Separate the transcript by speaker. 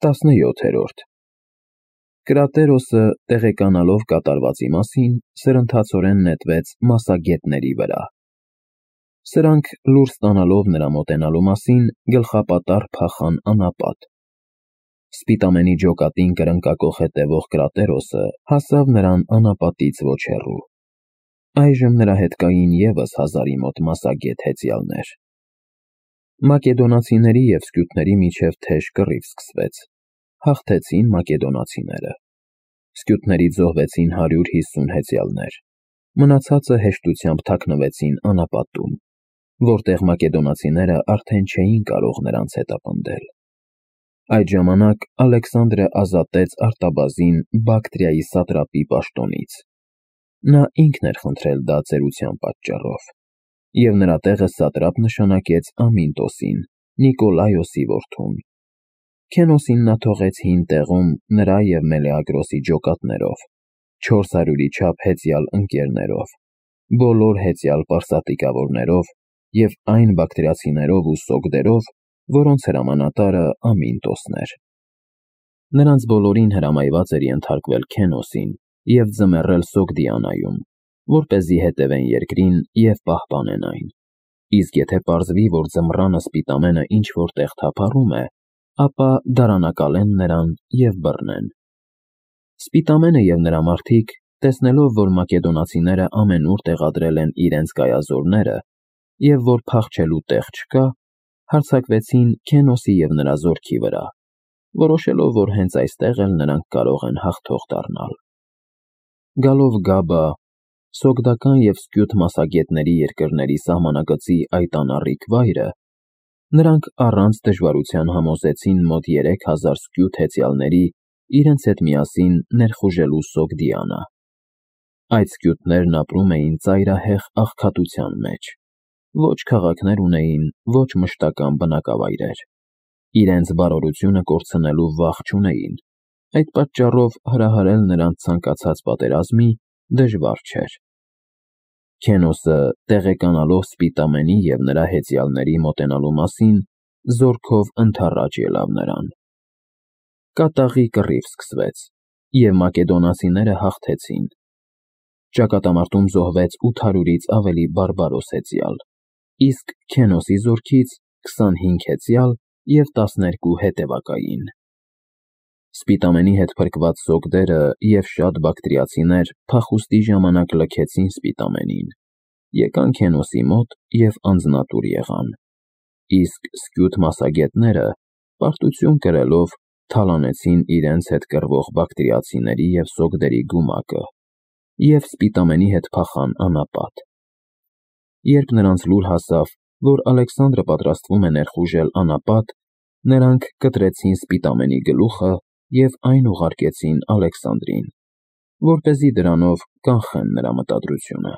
Speaker 1: 17-րդ Կրատերոսը, տեղեկանալով կատարվածի մասին, սրընթացորեն նետվեց մասագետների վրա։ Սրանք, լուր ստանալով նրա մոտենալու մասին, գլխապատառ փախան անապատ։ Սպիտամենի ջոկատին կրնկակոխ հետևող Կրատերոսը հասավ նրան անապատից ոչ հեռու։ Այժմ նրա հետ կային ևս 1000-ի մոտ մասագետ հեծյալներ։ Մակեդոնացիների և սկյութների միջև թեժ կռիվ սկսվեց։ Հաղթեցին մակեդոնացիները։ Սկյութներից զոհվեցին 150 հեծյալներ։ Մնացածը հեշտությամբ թաքնվեցին անապատում, որտեղ մակեդոնացիները արդեն չէին կարող նրանց հետապնդել։ Այդ ժամանակ Ալեքսանդրը ազատեց արտաբազին Բակտրիայի սատրապի պաշտոնից։ Նա ինքն էր խնդրել դա ծերության պատճառով, և նրա տեղը սատրապ նշանակեց Ամինտոսին, Նիկոլայոսի որդուն։ Քենոսին նա թողեց հին տեղում նրա և Մելեագրոսի ջոկատներով, 400-ի չափ հեծյալ ընկերներով, բոլոր հեծյալ պարսատիկավորներով և այն բակտրիացիներով ու սոգդերով, որոնց հրամանատարը Ամինտոսն էր։ Նրանց բոլորին հրամայված էր ենթարկվել Քենոսին և ձմեռել Սոգդիանայում, որպեսզի հետևեն երկրին և պահպանեն այն, իսկ եթե պարզվի, որ ձմռանը Սպիտամենը ինչ-որ տեղ թափառում է, ապա դարանակալեն նրան և բռնեն։ Սպիտամենը և նրա մարդիկ, տեսնելով, որ մակեդոնացիները ամենուր տեղադրել են իրենց կայազորները և որ փախչելու տեղ չկա, հարձակվեցին Քենոսի և նրա զորքի վրա, որոշելով, որ հենց այստեղ էլ նրանք կարող են հաղթող դառնալ։ Գալով Գաբա, սոգդական և սկյութ մասագետների երկրների սահմանագծի այդ անառիկ վայրը, նրանք առանց դժվարության համոզեցին մոտ 3000 սկյութ հեծյալների իրենց հետ միասին ներխուժելու Սոգդիանա։ Այդ սկյութներն ապրում էին ծայրահեղ աղքատության մեջ, ոչ քաղաքներ ունեին, ոչ մշտական բնակավայրեր։ Իրենց բարօրությունը կորցնելու վախ չունեին, այդ պատճառով հրահարել նրանց ցանկացած պատերազմի դժվար չէր։ Քենոսը, տեղեկանալով Սպիտամենի և նրա հեծյալների մոտենալու մասին, զորքով ընդառաջ ելավ նրան։ Կատաղի կռիվ սկսվեց, և մակեդոնացիները հաղթեցին։ Ճակատամարտում զոհվեց 800-ից ավելի բարբարոս հեծյալ, իսկ Քենոսի զորքից 25 հեծյալ և 12 հետևակային։ Սպիտամենի հետ փրկված սոգդերը և շատ բակտրիացիներ փախուստի ժամանակ լքեցին Սպիտամենին, եկան Քենոսի մոտ և անձնատուր եղան, իսկ սկյութ մասագետները, պարտություն կրելով, թալանեցին իրենց հետ կռվող բակտրիացիների և սոգդերի գումակը և Սպիտամենի հետ փախան անապատ։ Երբ նրանց լուր հասավ, որ Ալեքսանդրը պատրաստվում է ներխուժել անապատ, նրանք կտրեցին Սպիտամենի գլուխը և այն ուղարկեցին Ալեքսանդրին, որպեսզի դրանով կանխեն նրա մտադրությունը։